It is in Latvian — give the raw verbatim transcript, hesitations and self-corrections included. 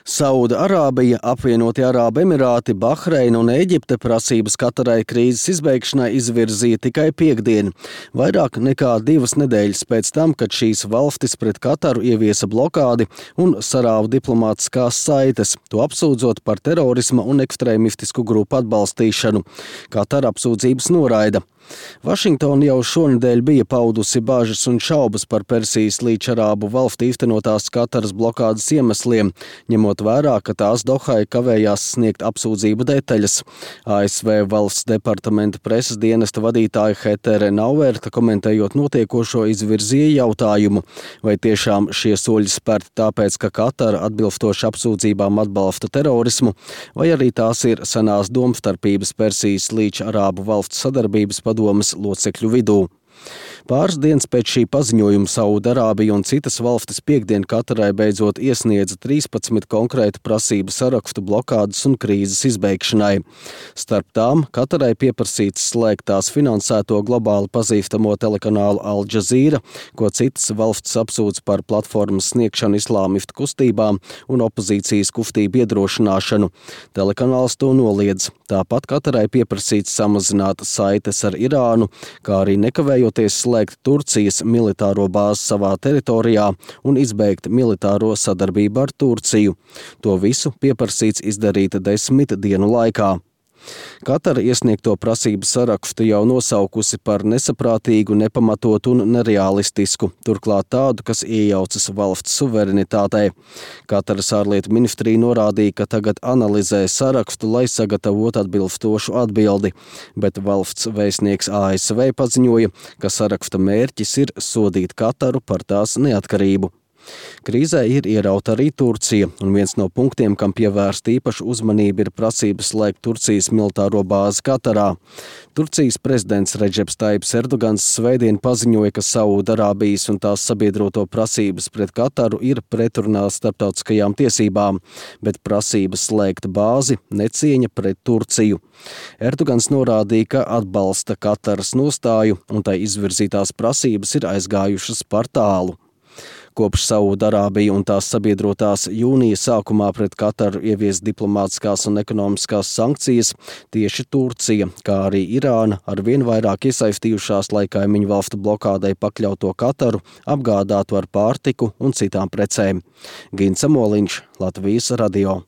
Sauda Arābija, Apvienotie Arābu Emirāti, Bahreina un Ēģipte prasības Katarai krīzes izbeigšanai izvirzīja tikai piektdien, vairāk nekā divas nedēļas pēc tam, kad šīs valstis pret Kataru ieviesa blokādi un sarāva diplomātiskās saites, to apsūdzot par terorisma un ekstrēmistisku grupu atbalstīšanu. Katara apsūdzības noraida. Vašingtona jau šonedēļ bija paudusi bažas un šaubas par Persijas līča Arābu valstu īstenotās Kataras blokādes iemesliem, ņemot vērā, ka tās Dohai kavējās sniegt apsūdzību detaļas. A S V valsts departamenta preses dienesta vadītāja Hetere Nauerta, komentējot notiekošo, izvirzīja jautājumu, vai tiešām šie soļi spērti tāpēc, ka Katara atbilstoši apsūdzībām atbalsta terorismu, vai arī tās ir senās domstarpības Persijas līča Arābu valstu sadarbības padomes locekļu vidū. Pāris dienas pēc šī paziņojuma Sauda Arābija un citas valstis piektdien Katarai beidzot iesniedza trīspadsmit konkrētu prasību sarakstu blokādes un krīzes izbeigšanai. Starp tām Katarai pieprasīts slēgt tās finansēto globāli pazīstamo telekanālu Al Jazeera, ko citas valstis apsūdz par platformas sniegšanu islāmistu kustībām un opozīcijas kustību iedrošināšanu. Telekanāls to noliedz. Tāpat Katarai pieprasīts samazināt saites ar Irānu, kā arī nekavējoties slēgt Turcijas militāro bāzi savā teritorijā un izbeigt militāro sadarbību ar Turciju. To visu pieprasīts izdarīt desmit dienu laikā. Katara iesniegto prasību sarakstu jau nosaukusi par nesaprātīgu, nepamatotu un nereālistisku, turklāt tādu, kas iejaucas valsts suverenitātei. Kataras ārlietu ministrija norādīja, ka tagad analizē sarakstu, lai sagatavotu atbilstošu atbildi, bet valsts vēstnieks A S V paziņoja, ka saraksta mērķis ir sodīt Kataru par tās neatkarību. Krīzē ir ierauta arī Turcija, un viens no punktiem, kam pievērsta īpaša uzmanība, ir prasības slēgt Turcijas militāro bāzi Katarā. Turcijas prezidents Redžeps Taips Erdogans svētdien paziņoja, ka Sauda Arābijas un tās sabiedroto prasības pret Kataru ir pretrunā starptautiskajām tiesībām, bet prasības slēgt bāzi necieņa pret Turciju. Erdogans norādīja, ka atbalsta Kataras nostāju, un tai izvirzītās prasības ir aizgājušas par tālu. Kopš Sauda Arābija un tās sabiedrotās jūnija sākumā pret Kataru ievies diplomātiskās un ekonomiskās sankcijas, tieši Turcija, kā arī Irāna, arvien vairāk iesaistījušās, lai kaimiņu valstu blokādei pakļauto Kataru apgādātu ar pārtiku un citām precēm. Gins Amoliņš, Latvijas radio.